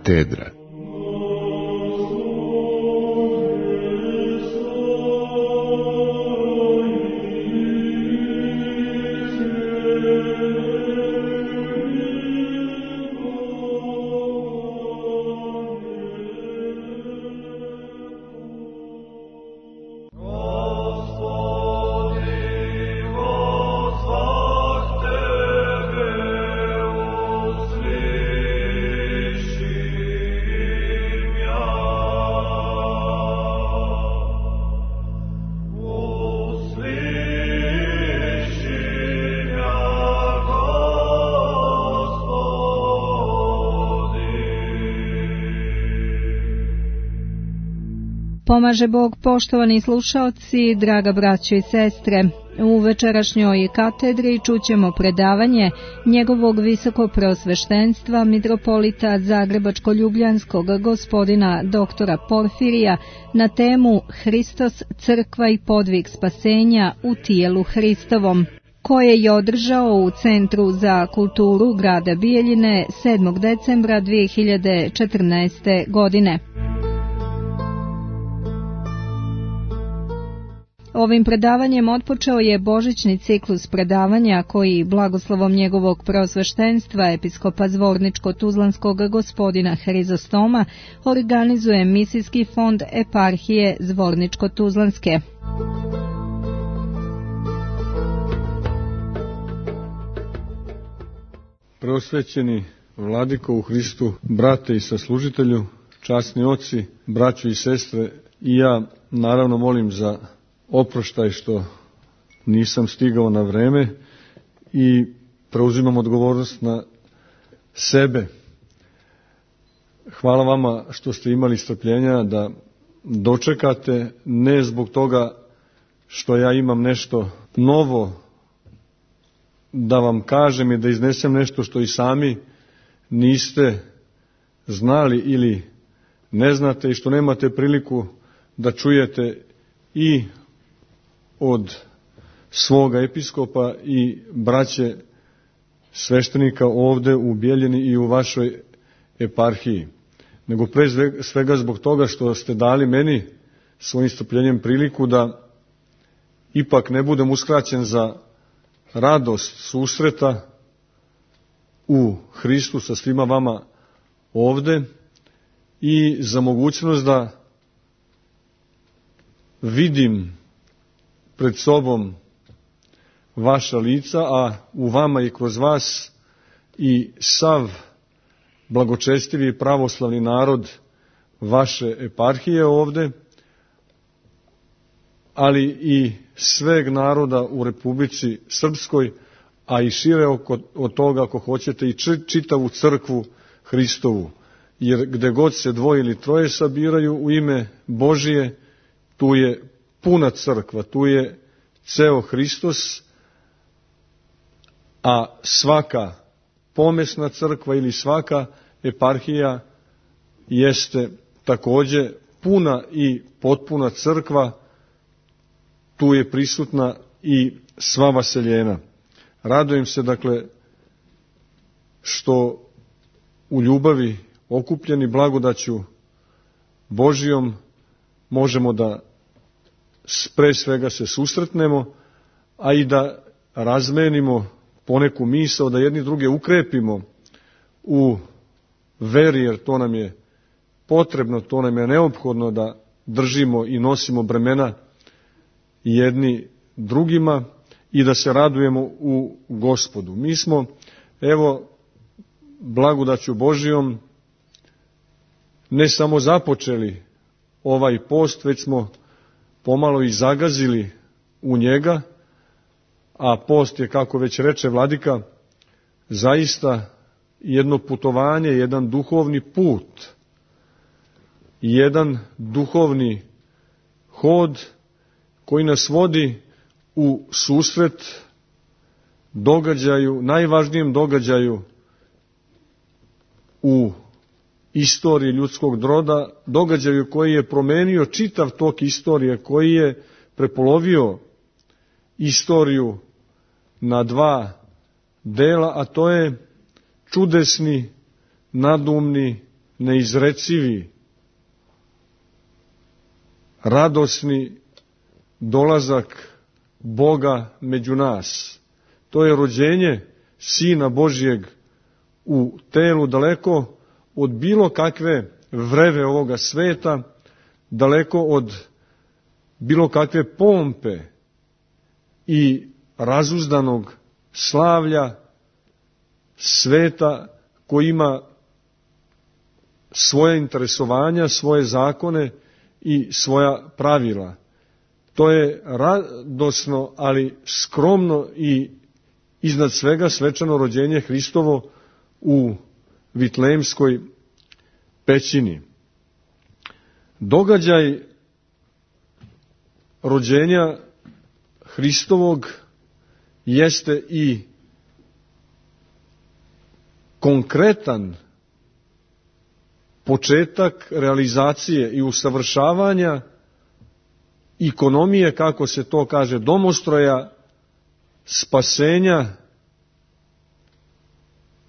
katedra. Pomaže Bog, poštovani slušaoci, draga braćo i sestre. U večerašnjoj katedri čućemo predavanje njegovog visokopreosveštenstva mitropolita Zagrebačko-ljubljanskog gospodina doktora Porfirija na temu Hristos, crkva i podvig spasenja u tijelu Hristovom, koje je održao u Centru za kulturu grada Bijeljine 7. decembra 2014. godine. Ovim predavanjem otpočeo je božićni ciklus predavanja koji blagoslovom njegovog preosveštenstva episkopa Zvorničko-Tuzlanskog gospodina Hrizostoma organizuje misijski fond eparhije Zvorničko-Tuzlanske. Preosvećeni vladiko u Hristu, brate i saslužitelju, časni oci, braćo i sestre, i ja naravno molim za oproštaj što nisam stigao na vreme i preuzimam odgovornost na sebe. Hvala vama što ste imali strpljenja da dočekate, ne zbog toga što ja imam nešto novo da vam kažem i da iznesem nešto što i sami niste znali ili ne znate i što nemate priliku da čujete i od svoga episkopa i braće sveštenika ovde u Bijeljini i u vašoj eparhiji, nego pre svega zbog toga što ste dali meni svojim strpljenjem priliku da ipak ne budem uskraćen za radost susreta u Hristu sa svima vama ovde i za mogućnost da vidim pred sobom vaša lica, a u vama i kroz vas i sav blagočestivi i pravoslavni narod vaše eparhije ovde, ali i sveg naroda u Republici Srpskoj, a i šire od toga, ako hoćete, i čitavu crkvu Hristovu. Jer gde god se dvoje ili troje sabiraju u ime Božije, tu je puna crkva, tu je ceo Hristos, a svaka pomesna crkva ili svaka eparhija jeste takođe puna i potpuna crkva, tu je prisutna i sva vaseljena. Radujem se, dakle, što u ljubavi okupljeni blagodaću Božijom možemo da pre svega se susretnemo, a i da razmenimo poneku misao, da jedni druge ukrepimo u veri, jer to nam je potrebno, to nam je neophodno da držimo i nosimo bremena jedni drugima i da se radujemo u Gospodu. Mi smo, evo, blagodaću Božijom ne samo započeli ovaj post, već smo pomalo i zagazili u njega, a post je, kako već reče vladika, zaista jedno putovanje, jedan duhovni put, jedan duhovni hod koji nas vodi u susret događaju, najvažnijem događaju u istoriji ljudskog roda, događaju koji je promenio čitav tok istorije, koji je prepolovio istoriju na dva dela, a to je čudesni, nadumni, neizrecivi, radosni dolazak Boga među nas. To je rođenje Sina Božjeg u telu, daleko od bilo kakve vreve ovoga sveta, daleko od bilo kakve pompe i razuzdanog slavlja sveta koji ima svoje interesovanja, svoje zakone i svoja pravila. To je radosno, ali skromno i iznad svega svečano rođenje Hristovo u Vitlejemskoj pećini. Događaj rođenja Hristovog jeste i konkretan početak realizacije i usavršavanja ikonomije, kako se to kaže, domostroja spasenja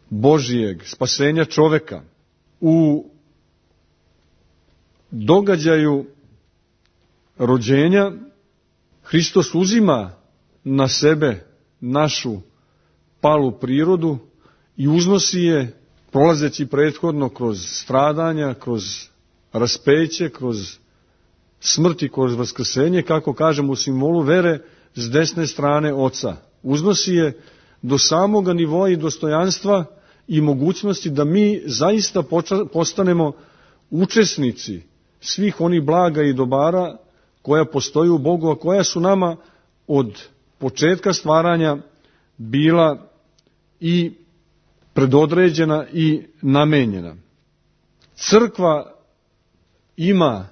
Božijeg, spasenja čoveka. U događaju rođenja Hristos uzima na sebe našu palu prirodu i uznosi je, prolazeći prethodno kroz stradanja, kroz raspeće, kroz smrt i kroz vaskrsenje, kako kažemo u simbolu vere, s desne strane Oca. Uznosi je do samoga nivoa i dostojanstva i mogućnosti da mi zaista postanemo učesnici svih onih blaga i dobara koja postoji u Bogu, a koja su nama od početka stvaranja bila i predodređena i namenjena. Crkva ima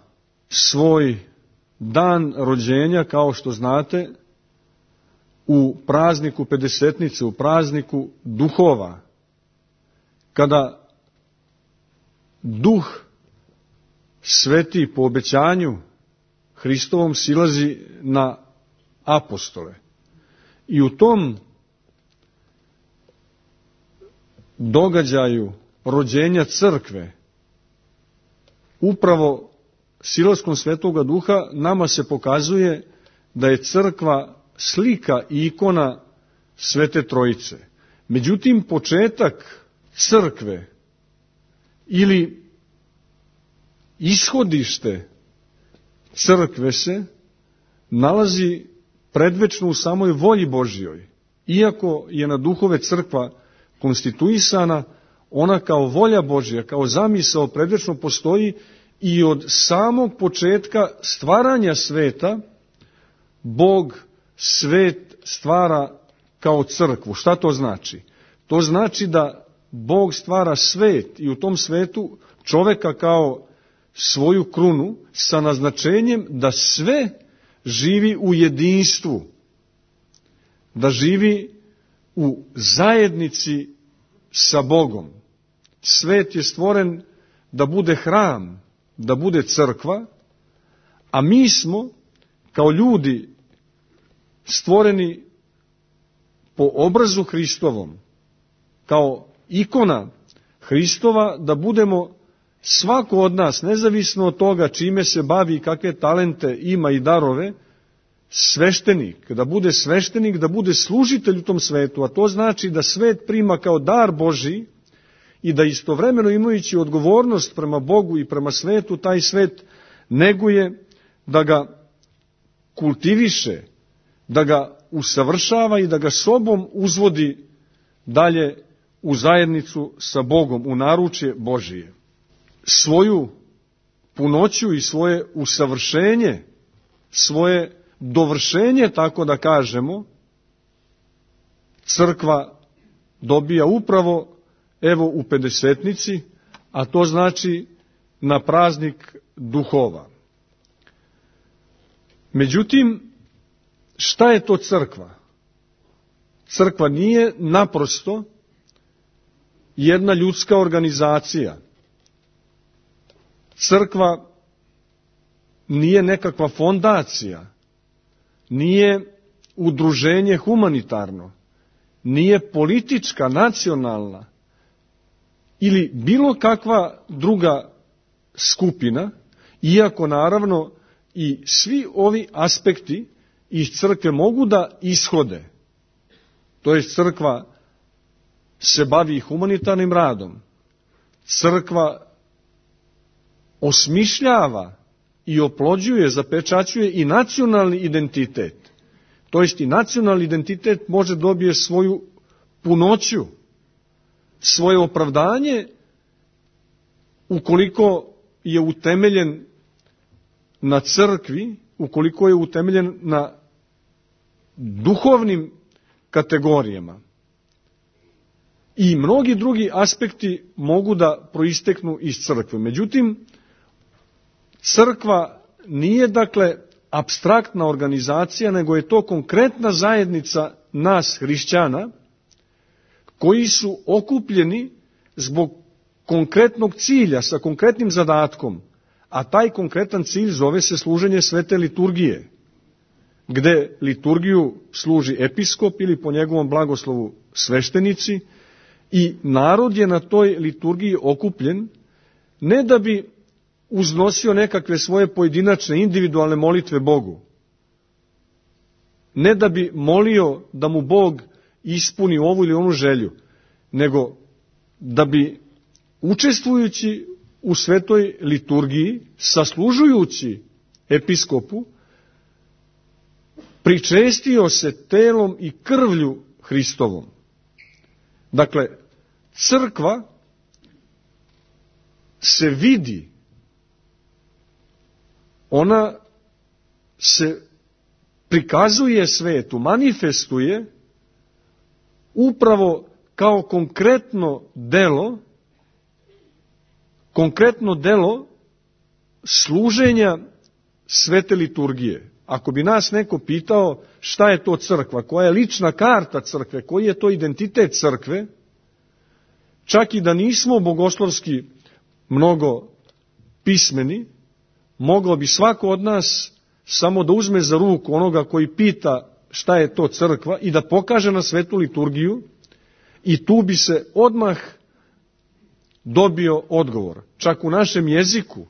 svoj dan rođenja, kao što znate, u prazniku Pedesetnice, u prazniku duhova, kada Duh Sveti po obećanju Hristovom silazi na apostole. I u tom događaju rođenja crkve, upravo silaskom Svetoga Duha, nama se pokazuje da je crkva slika i ikona Svete Trojice. Međutim, početak crkve ili ishodište crkve se nalazi predvečno u samoj volji Božjoj. Iako je na duhove crkva konstituisana, ona kao volja Božja, kao zamisao predvečno postoji i od samog početka stvaranja sveta Bog svet stvara kao crkvu. Šta to znači? To znači da Bog stvara svet i u tom svetu čoveka kao svoju krunu sa naznačenjem da sve živi u jedinstvu, da živi u zajednici sa Bogom. Svet je stvoren da bude hram, da bude crkva, a mi smo kao ljudi stvoreni po obrazu Hristovom, kao ikona Hristova, da budemo svako od nas, nezavisno od toga čime se bavi i kakve talente ima i darove, sveštenik, da bude služitelj u tom svetu, a to znači da svet prima kao dar Božji i da istovremeno imajući odgovornost prema Bogu i prema svetu, taj svet neguje, da ga kultiviše, da ga usavršava i da ga sobom uzvodi dalje u zajednicu sa Bogom, u naručje Božije. Svoju punoću i svoje usavršenje, svoje dovršenje, tako da kažemo, crkva dobija upravo evo u Pedesetnici, a to znači na praznik duhova. Međutim, šta je to crkva? Crkva nije naprosto jedna ljudska organizacija. Crkva nije nekakva fondacija, nije udruženje humanitarno, nije politička, nacionalna ili bilo kakva druga skupina, iako naravno i svi ovi aspekti iz crkve mogu da ishode. To je crkva se bavi humanitarnim radom. Crkva osmišljava i oplođuje, zapečaćuje i nacionalni identitet. To jest i nacionalni identitet može dobije svoju punoću, svoje opravdanje ukoliko je utemeljen na crkvi, ukoliko je utemeljen na duhovnim kategorijama. I mnogi drugi aspekti mogu da proisteknu iz crkve. Međutim, crkva nije dakle apstraktna organizacija, nego je to konkretna zajednica nas hrišćana koji su okupljeni zbog konkretnog cilja, sa konkretnim zadatkom, a taj konkretan cilj zove se služenje svete liturgije, gde liturgiju služi episkop ili po njegovom blagoslovu sveštenici, i narod je na toj liturgiji okupljen ne da bi uznosio nekakve svoje pojedinačne, individualne molitve Bogu, ne da bi molio da mu Bog ispuni ovu ili onu želju, nego da bi učestvujući u svetoj liturgiji, saslužujući episkopu, pričestio se telom i krvlju Hristovom. Dakle, crkva se vidi, ona se prikazuje svetu, manifestuje upravo kao konkretno delo služenja svete liturgije. Ako bi nas neko pitao šta je to crkva, koja je lična karta crkve, koji je to identitet crkve, čak i da nismo bogoslovski mnogo pismeni, moglo bi svako od nas samo da uzme za ruku onoga koji pita šta je to crkva i da pokaže na svetu liturgiju, i tu bi se odmah dobio odgovor. Čak u našem jeziku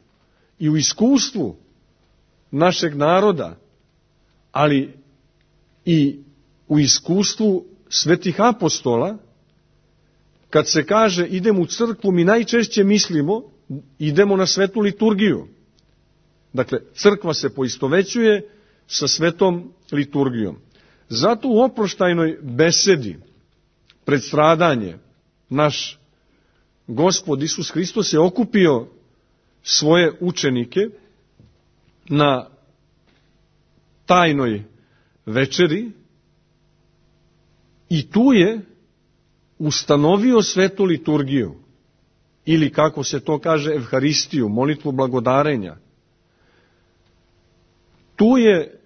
i u iskustvu našeg naroda, ali i u iskustvu svetih apostola, kad se kaže idemo u crkvu, mi najčešće mislimo idemo na svetu liturgiju. Dakle, crkva se poistovećuje sa svetom liturgijom. Zato u oproštajnoj besedi pred stradanje naš Gospod Isus Hristos je okupio svoje učenike na tajnoj večeri i tu je ustanovio svetu liturgiju, ili kako se to kaže evharistiju, molitvu blagodarenja. Tu je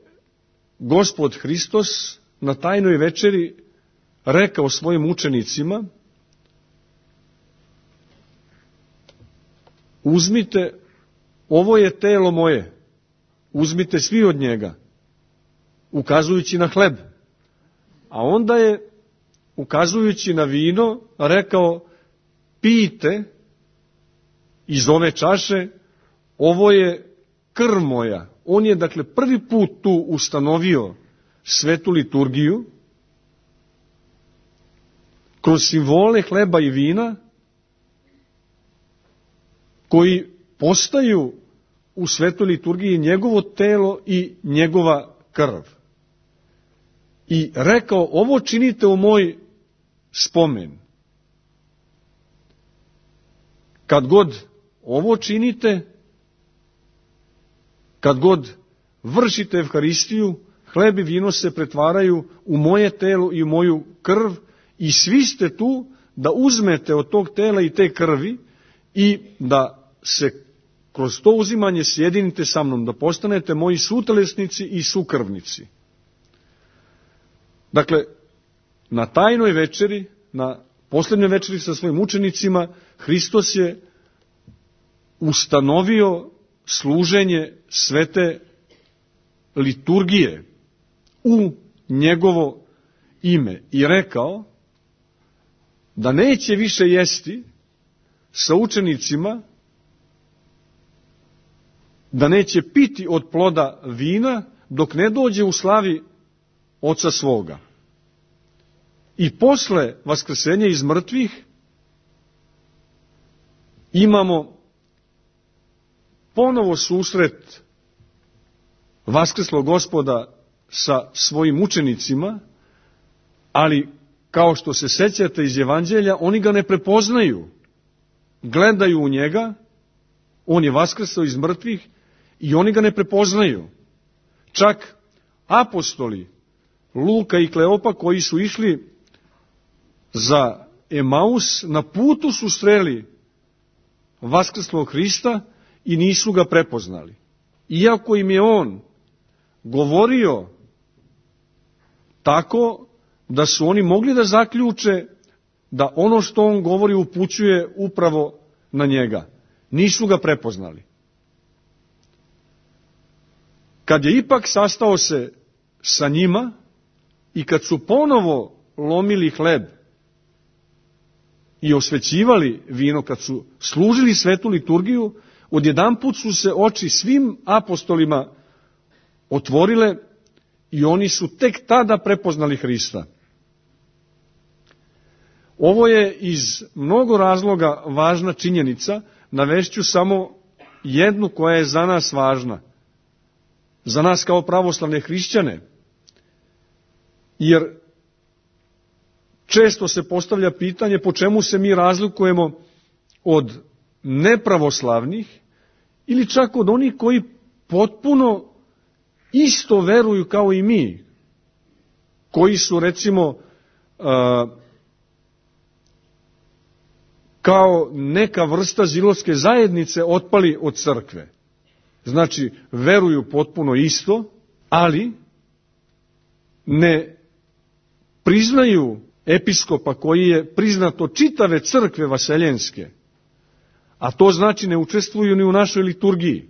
Gospod Hristos na tajnoj večeri rekao svojim učenicima: uzmite, ovo je telo moje, uzmite svi od njega, ukazujući na hleb. A onda je, ukazujući na vino, rekao: pijte iz ove čaše, ovo je krv moja. On je, dakle, prvi put tu ustanovio svetu liturgiju kroz simbole hleba i vina, koji postaju u svetoj liturgiji njegovo telo i njegova krv. I rekao: ovo činite u moj spomen. Kad god ovo činite, kad god vršite evharistiju, hleb i vino se pretvaraju u moje telo i u moju krv, i svi ste tu da uzmete od tog tela i te krvi i da se kroz to uzimanje sjedinite sa mnom, da postanete moji sutelesnici i sukrvnici. Dakle, na tajnoj večeri, na posljednjoj večeri sa svojim učenicima, Hristos je ustanovio služenje svete liturgije u njegovo ime i rekao da neće više jesti sa učenicima da neće piti od ploda vina dok ne dođe u slavi Oca svoga. I posle vaskrsenja iz mrtvih imamo ponovo susret vaskrslog Gospoda sa svojim učenicima, ali kao što se sećate iz Evanđelja, oni ga ne prepoznaju. Gledaju u njega, on je vaskrsao iz mrtvih i oni ga ne prepoznaju. Čak apostoli Luka i Kleopa koji su išli za Emaus, na putu su sreli vaskrslog Hrista i nisu ga prepoznali. Iako im je on govorio tako da su oni mogli da zaključe da ono što on govori upućuje upravo na njega. Nisu ga prepoznali. Kad je ipak sastao se sa njima i kad su ponovo lomili hleb i osvećivali vino, kad su služili svetu liturgiju, odjedanput su se oči svim apostolima otvorile i oni su tek tada prepoznali Hrista. Ovo je iz mnogo razloga važna činjenica, navešću samo jednu koja je za nas važna, za nas kao pravoslavne hrišćane, jer često se postavlja pitanje po čemu se mi razlikujemo od nepravoslavnih ili čak od onih koji potpuno isto veruju kao i mi, koji su recimo kao neka vrsta zilotske zajednice otpali od crkve. Znači, veruju potpuno isto, ali ne priznaju episkopa koji je priznat od čitave crkve vaseljenske, a to znači ne učestvuju ni u našoj liturgiji.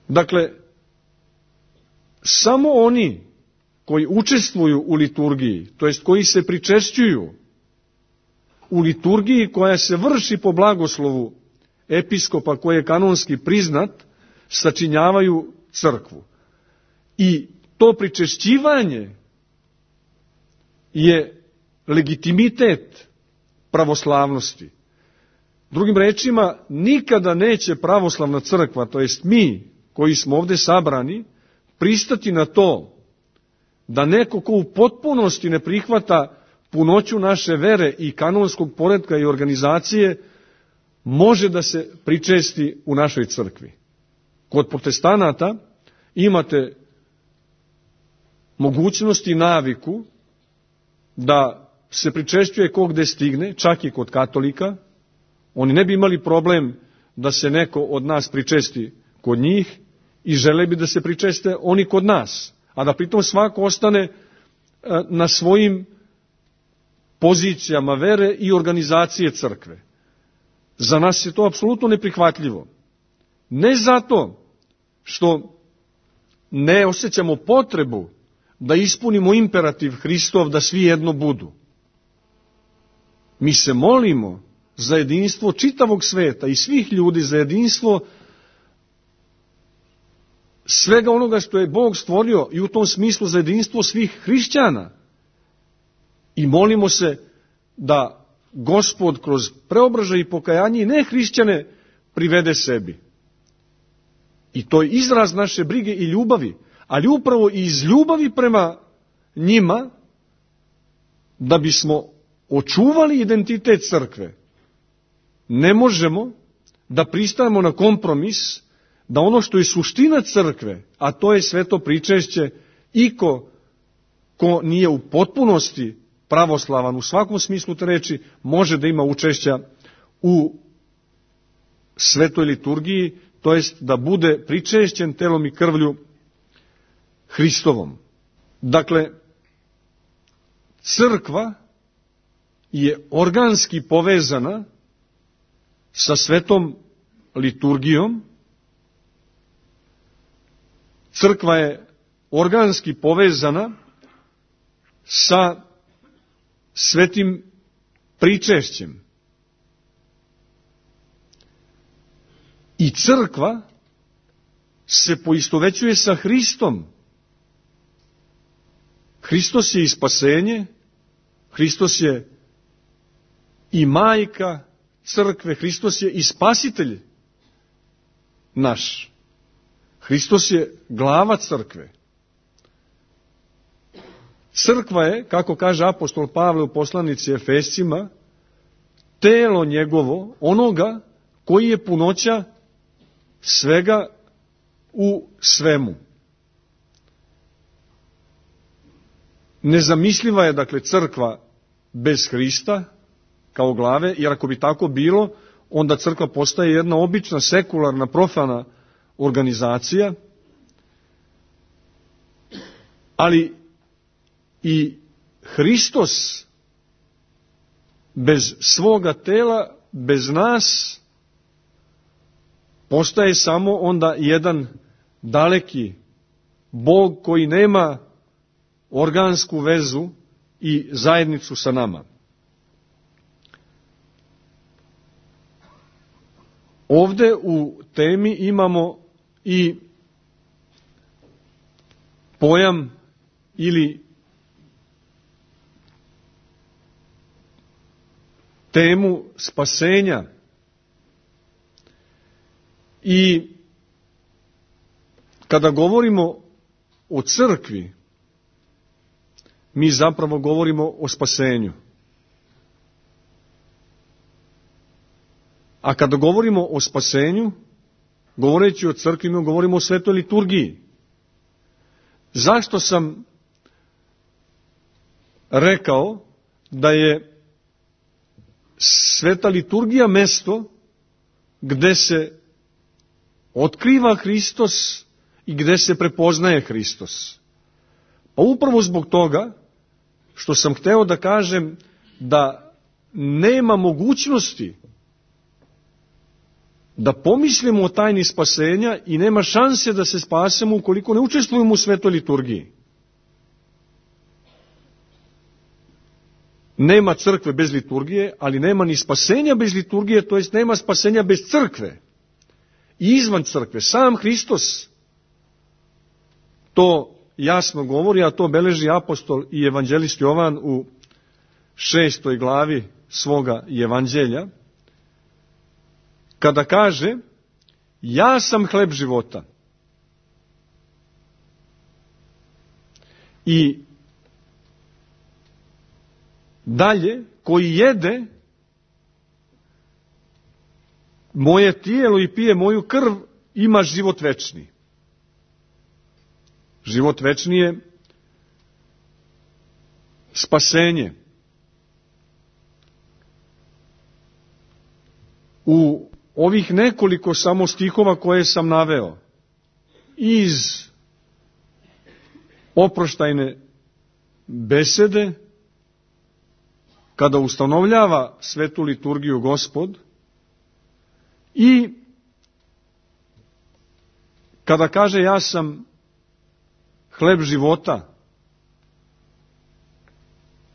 Dakle, samo oni koji učestvuju u liturgiji, to jest koji se pričešćuju u liturgiji koja se vrši po blagoslovu episkopa koji je kanonski priznat, sačinjavaju crkvu. I to pričešćivanje je legitimitet pravoslavnosti. Drugim rečima, nikada neće pravoslavna crkva, to jest mi koji smo ovde sabrani, pristati na to da neko ko u potpunosti ne prihvata punoću naše vere i kanonskog poretka i organizacije može da se pričesti u našoj crkvi. Kod protestanata imate mogućnost i naviku da se pričešćuje ko gde stigne, čak i kod katolika. Oni ne bi imali problem da se neko od nas pričesti kod njih i žele bi da se pričeste oni kod nas, a da pritom svako ostane na svojim pozicijama vere i organizacije crkve. Za nas je to apsolutno neprihvatljivo. Ne zato što ne osjećamo potrebu da ispunimo imperativ Hristov da svi jedno budu. Mi se molimo za jedinstvo čitavog sveta i svih ljudi, za jedinstvo svega onoga što je Bog stvorio i u tom smislu za jedinstvo svih hrišćana. I molimo se da Gospod kroz preobražaj i pokajanje i nehrišćane privede sebi. I to je izraz naše brige i ljubavi, ali upravo iz ljubavi prema njima, da bismo očuvali identitet crkve, ne možemo da pristajemo na kompromis, da ono što je suština crkve, a to je sveto pričešće, iko ko nije u potpunosti pravoslavan u svakom smislu te reči, može da ima učešća u svetoj liturgiji, to jest da bude pričešćen telom i krvlju Hristovom. Dakle, crkva je organski povezana sa svetom liturgijom. Crkva je organski povezana sa svetim pričešćem. I crkva se poistovećuje sa Hristom. Hristos je i spasenje, Hristos je i majka crkve, Hristos je i spasitelj naš. Hristos je glava crkve. Crkva je, kako kaže apostol Pavle u poslanici Efescima, telo njegovo, onoga koji je punoća svega u svemu. Nezamisliva je, dakle, crkva bez Hrista kao glave, jer ako bi tako bilo, onda crkva postaje jedna obična, sekularna, profana organizacija, ali i Hristos bez svoga tela, bez nas, postaje samo onda jedan daleki Bog koji nema organsku vezu i zajednicu sa nama. Ovde u temi imamo i pojam ili temu spasenja. I kada govorimo o crkvi, mi zapravo govorimo o spasenju. A kada govorimo o spasenju, govoreći o crkvi, mi govorimo o svetoj liturgiji. Zašto sam rekao da je sveta liturgija mesto gde se otkriva Hristos i gde se prepoznaje Hristos? Pa upravo zbog toga što sam hteo da kažem da nema mogućnosti da pomislimo o tajni spasenja i nema šanse da se spasemo ukoliko ne učestvujemo u svetoj liturgiji. Nema crkve bez liturgije, ali nema ni spasenja bez liturgije, to jest nema spasenja bez crkve. I izvan crkve, sam Hristos to jasno govori, a to beleži apostol i evanđelist Jovan u 6. glavi svoga evanđelja, kada kaže: ja sam hleb života. I dalje, koji jede moje tijelo i pije moju krv, ima život večni. Život večni je spasenje. U ovih nekoliko samo stihova koje sam naveo iz oproštajne besede, kada ustanovljava svetu liturgiju Gospod i kada kaže ja sam hleb života,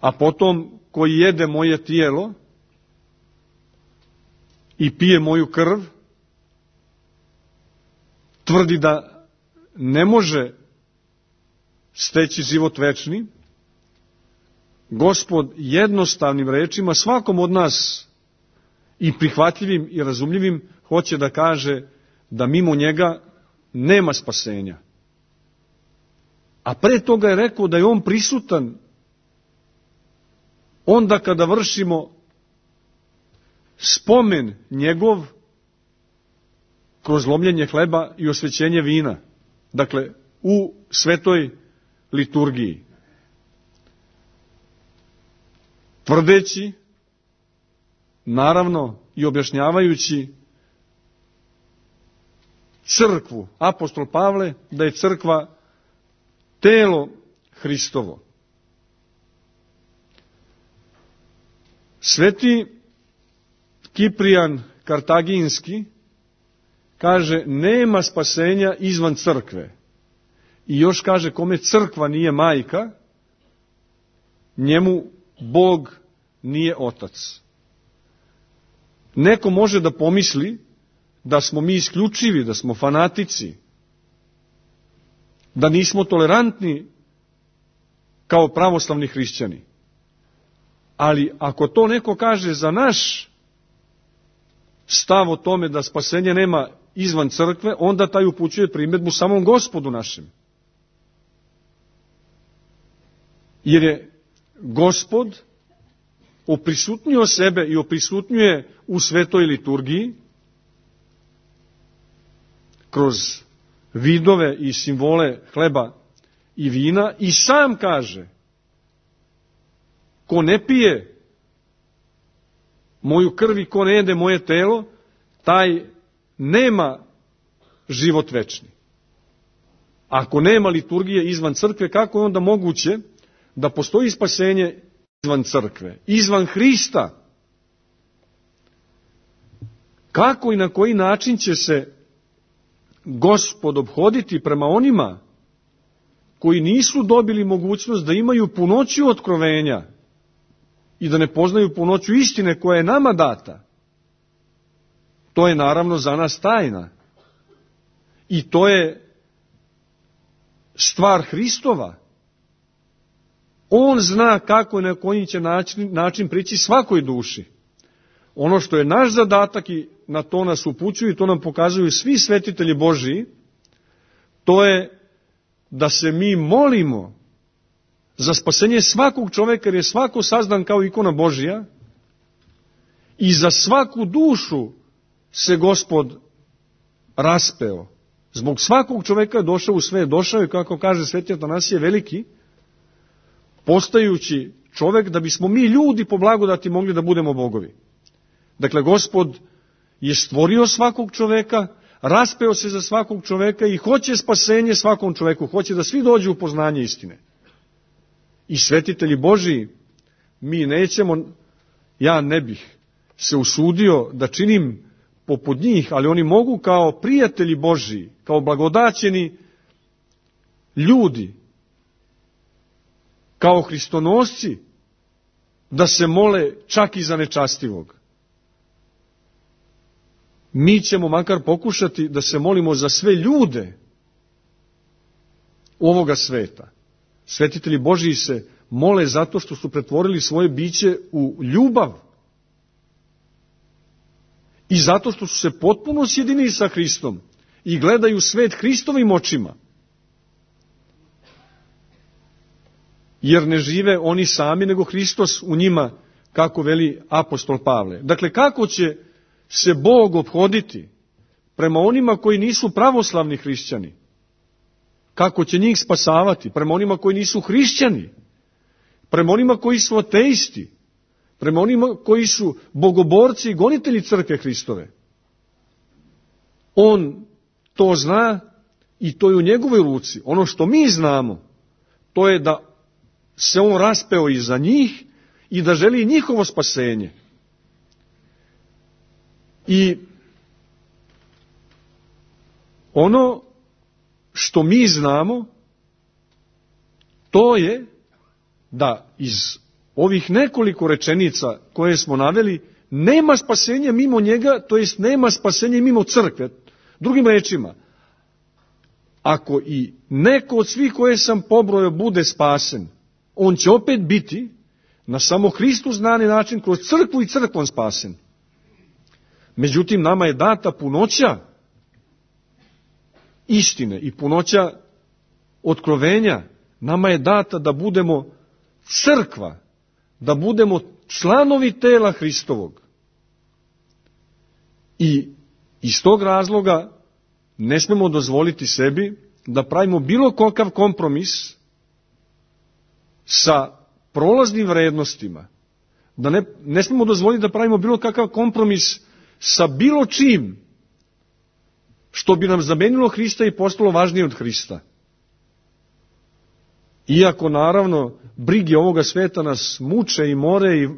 a potom koji jede moje tijelo i pije moju krv, tvrdi da ne može steći život večni, Gospod jednostavnim rečima svakom od nas i prihvatljivim i razumljivim hoće da kaže da mimo njega nema spasenja. A pre toga je rekao da je on prisutan onda kada vršimo spomen njegov kroz lomljenje hleba i osvećenje vina. Dakle, u svetoj liturgiji. Tvrdeći, naravno i objašnjavajući crkvu, apostol Pavle, da je crkva telo Hristovo. Sveti Kiprijan Kartaginski kaže, nema spasenja izvan crkve. I još kaže, kome crkva nije majka, njemu Bog nije otac. Neko može da pomisli da smo mi isključivi, da smo fanatici, da nismo tolerantni kao pravoslavni hrišćani. Ali ako to neko kaže za naš stav o tome da spasenje nema izvan crkve, onda taj upućuje primjedbu samom Gospodu našem. Jer je Gospod oprisutnio sebe i oprisutnjuje u svetoj liturgiji kroz vidove i simbole hleba i vina i sam kaže: ko ne pije moju krv i ko ne jede moje telo, taj nema život večni. Ako nema liturgije izvan crkve, kako je onda moguće da postoji spasenje izvan crkve, izvan Hrista? Kako i na koji način će se Gospod ophoditi prema onima koji nisu dobili mogućnost da imaju punoću otkrovenja i da ne poznaju punoću istine koja je nama data? To je naravno za nas tajna. I to je stvar Hristova. On zna kako i na koji će način prići svakoj duši. Ono što je naš zadatak i na to nas upućuju i to nam pokazuju svi svetitelji Božiji, to je da se mi molimo za spasenje svakog čoveka, jer je svako sazdan kao ikona Božija, i za svaku dušu se Gospod raspeo. Zbog svakog čoveka je došao u svet, došao je, kako kaže sveti Atanasije Veliki, postajući čovek da bismo mi ljudi po blagodati mogli da budemo bogovi. Dakle, Gospod je stvorio svakog čoveka, raspeo se za svakog čoveka i hoće spasenje svakom čoveku, hoće da svi dođu u poznanje istine. I svetitelji Božiji, mi nećemo, ja ne bih se usudio da činim poput njih, ali oni mogu kao prijatelji Božiji, kao blagodaćeni ljudi, kao hristonosci, da se mole čak i za nečastivog. Mi ćemo makar pokušati da se molimo za sve ljude ovoga sveta. Svetitelji Božiji se mole zato što su pretvorili svoje biće u ljubav i zato što su se potpuno sjedinili sa Hristom i gledaju svet Hristovim očima. Jer ne žive oni sami, nego Hristos u njima, kako veli apostol Pavle. Dakle, kako će se Bog ophoditi prema onima koji nisu pravoslavni hrišćani? Kako će njih spasavati? Prema onima koji nisu hrišćani? Prema onima koji su ateisti? Prema onima koji su bogoborci i gonitelji crkve Hristove? On to zna i to je u njegovoj ruci. Ono što mi znamo, to je da se on raspeo i za njih i da želi njihovo spasenje. I ono što mi znamo, to je da iz ovih nekoliko rečenica koje smo naveli, nema spasenja mimo njega, to jest nema spasenja mimo crkve. Drugim rečima, ako i neko od svih koje sam pobrojao bude spasen, on će opet biti na samo Hristu znani način kroz crkvu i crkvom spasen. Međutim, nama je data punoća istine i punoća otkrovenja. Nama je data da budemo crkva, da budemo članovi tela Hristovog. I iz tog razloga ne smemo dozvoliti sebi da pravimo bilo kakav kompromis sa prolaznim vrednostima. Da ne smemo dozvoliti da pravimo bilo kakav kompromis sa bilo čim što bi nam zamenilo Hrista i postalo važnije od Hrista. Iako, naravno, brige ovoga sveta nas muče i more i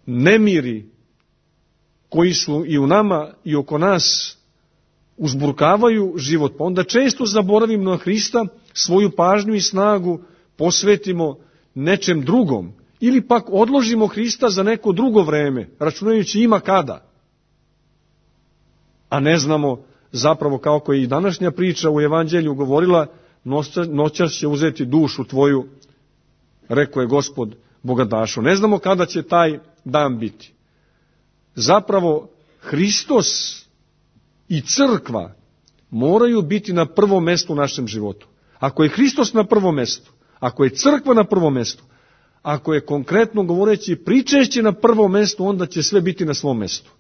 nemiri koji su i u nama i oko nas uzburkavaju život. Pa onda često zaboravimo na Hrista, svoju pažnju i snagu posvetimo nečem drugom. Ili pak odložimo Hrista za neko drugo vreme, računajući ima kada. a ne znamo zapravo, kako je i današnja priča u Evanđelju govorila, noćas će uzeti dušu tvoju, rekao je Gospod bogatašu. Ne znamo kada će taj dan biti. Zapravo, Hristos i crkva moraju biti na prvom mjestu u našem životu. Ako je Hristos na prvom mjestu, ako je crkva na prvom mjestu, ako je konkretno govoreći pričešće na prvom mjestu, onda će sve biti na svom mjestu.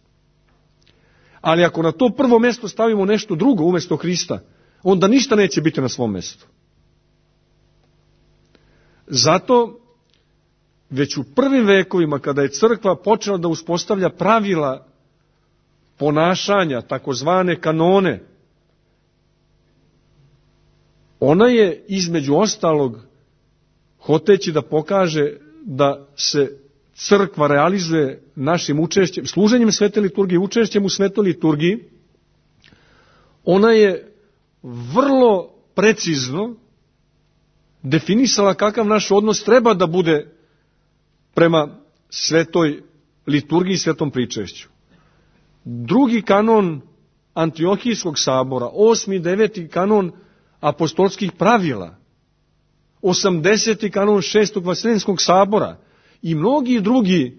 Ali ako na to prvo mjesto stavimo nešto drugo umjesto Hrista, onda ništa neće biti na svom mjestu. Zato, već u prvim vekovima, kada je crkva počela da uspostavlja pravila ponašanja, takozvane kanone, ona je između ostalog, hoteći da pokaže da se crkva realizuje našim učešćem, služenjem svete liturgije, učešćem u svetoj liturgiji, ona je vrlo precizno definisala kakav naš odnos treba da bude prema svetoj liturgiji i svetom pričešću. Drugi kanon Antiohijskog sabora, 8. i 9. kanon apostolskih pravila, 80. kanon 6. Vaseljenskog sabora i mnogi drugi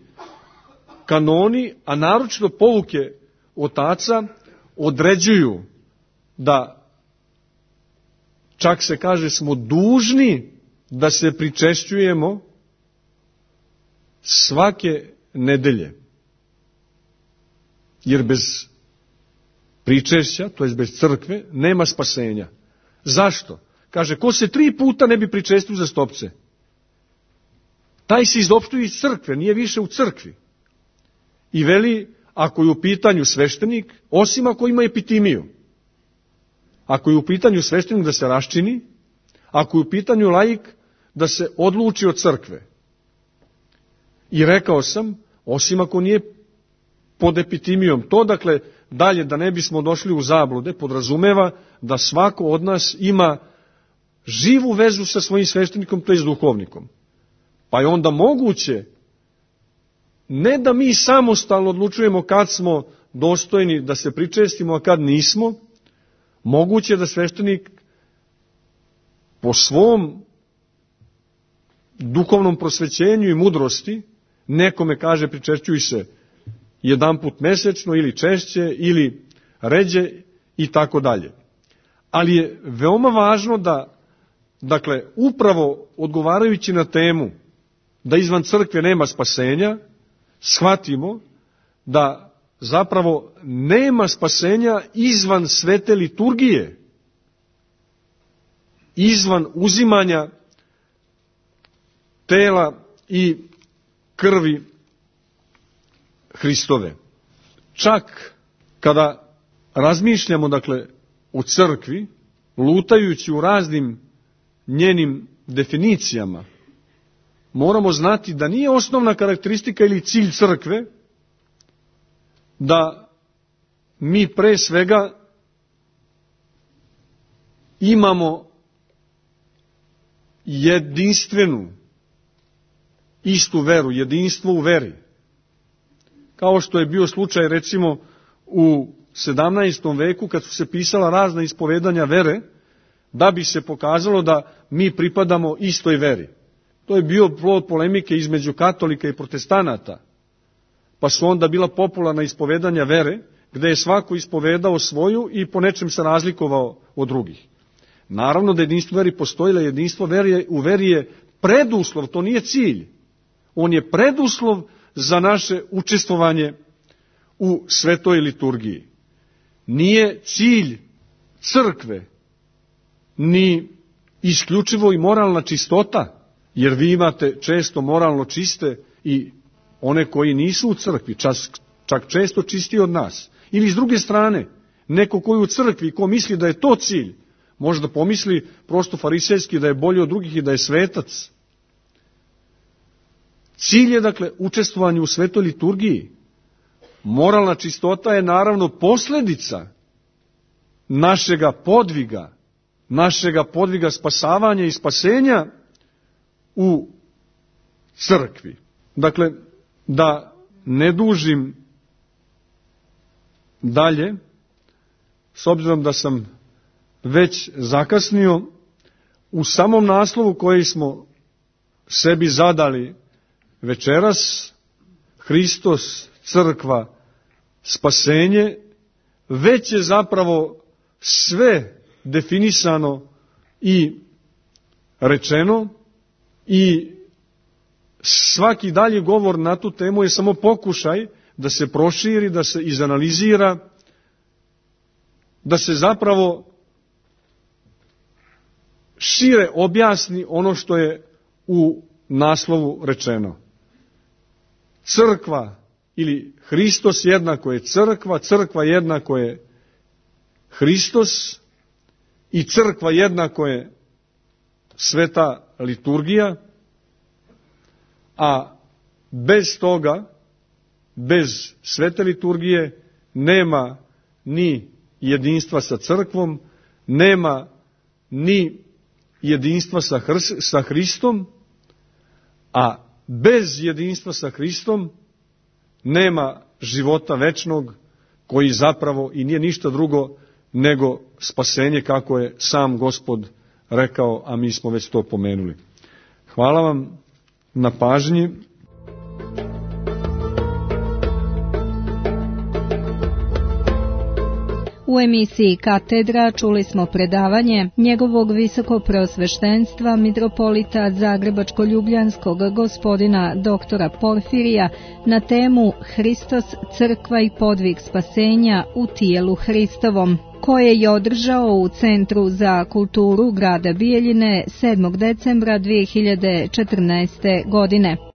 kanoni, a naročito pouke otaca, određuju da, čak se kaže, smo dužni da se pričešćujemo svake nedelje. Jer bez pričešća, to je bez crkve, nema spasenja. Zašto? Kaže, ko se 3 puta ne bi pričestio za stopce, taj se izopštuje iz crkve, nije više u crkvi. I veli, ako je u pitanju sveštenik, osim ako ima epitimiju, ako je u pitanju sveštenik da se raščini, ako je u pitanju laik da se odluči od crkve. I rekao sam, osim ako nije pod epitimijom, to dakle dalje da ne bismo došli u zablude, podrazumeva da svako od nas ima živu vezu sa svojim sveštenikom, to je s duhovnikom. Pa je onda moguće, ne da mi samostalno odlučujemo kad smo dostojni da se pričestimo, a kad nismo, moguće da sveštenik po svom duhovnom prosvećenju i mudrosti nekome kaže pričešćuj se jedanput mesečno ili češće ili ređe i tako dalje. Ali je veoma važno da, dakle, upravo odgovarajući na temu da izvan crkve nema spasenja, shvatimo da zapravo nema spasenja izvan svete liturgije, izvan uzimanja tela i krvi Hristove. Čak kada razmišljamo, dakle, o crkvi, lutajući u raznim njenim definicijama, moramo znati da nije osnovna karakteristika ili cilj crkve da mi pre svega imamo jedinstvenu, istu veru, jedinstvo u veri. Kao što je bio slučaj recimo u 17. veku kad su se pisala razna ispovedanja vere, da bi se pokazalo da mi pripadamo istoj veri. To je bio plod polemike između katolika i protestanata, pa su onda bila popularna ispovedanja vere, gde je svako ispovedao svoju i po nečem se razlikovao od drugih. Naravno da jedinstvo veri postojilo, jedinstvo u veri je preduslov, to nije cilj. On je preduslov za naše učestvovanje u svetoj liturgiji. Nije cilj crkve ni isključivo i moralna čistota, jer vi imate često moralno čiste i one koji nisu u crkvi, čak često čistiji od nas. Ili s druge strane, neko koji je u crkvi i ko misli da je to cilj, može da pomisli prosto farisejski da je bolji od drugih i da je svetac. Cilj je, dakle, učestvovanje u svetoj liturgiji. Moralna čistota je naravno posljedica našega podviga spasavanja i spasenja u crkvi. Dakle, da ne dužim dalje, s obzirom da sam već zakasnio, u samom naslovu koji smo sebi zadali večeras, Hristos, crkva, spasenje, već je zapravo sve definisano i rečeno i svaki dalji govor na tu temu je samo pokušaj da se proširi, da se izanalizira, da se zapravo šire objasni ono što je u naslovu rečeno. Crkva ili Hristos jednako je crkva, crkva jednako je Hristos i crkva jednako je sveta liturgija, a bez toga, bez svete liturgije, nema ni jedinstva sa crkvom, nema ni jedinstva sa Hristom, a bez jedinstva sa Hristom nema života večnog, koji zapravo i nije ništa drugo nego spasenje, kako je sam Gospod rekao, a mi smo već to pomenuli. Hvala vam na pažnji. U emisiji Katedra čuli smo predavanje njegovog visokopreosveštenstva mitropolita Zagrebačko-ljubljanskog gospodina doktora Porfirija na temu Hristos, crkva i podvig spasenja u tijelu Hristovom, koje je održao u Centru za kulturu grada Bijeljine 7. decembra 2014. godine.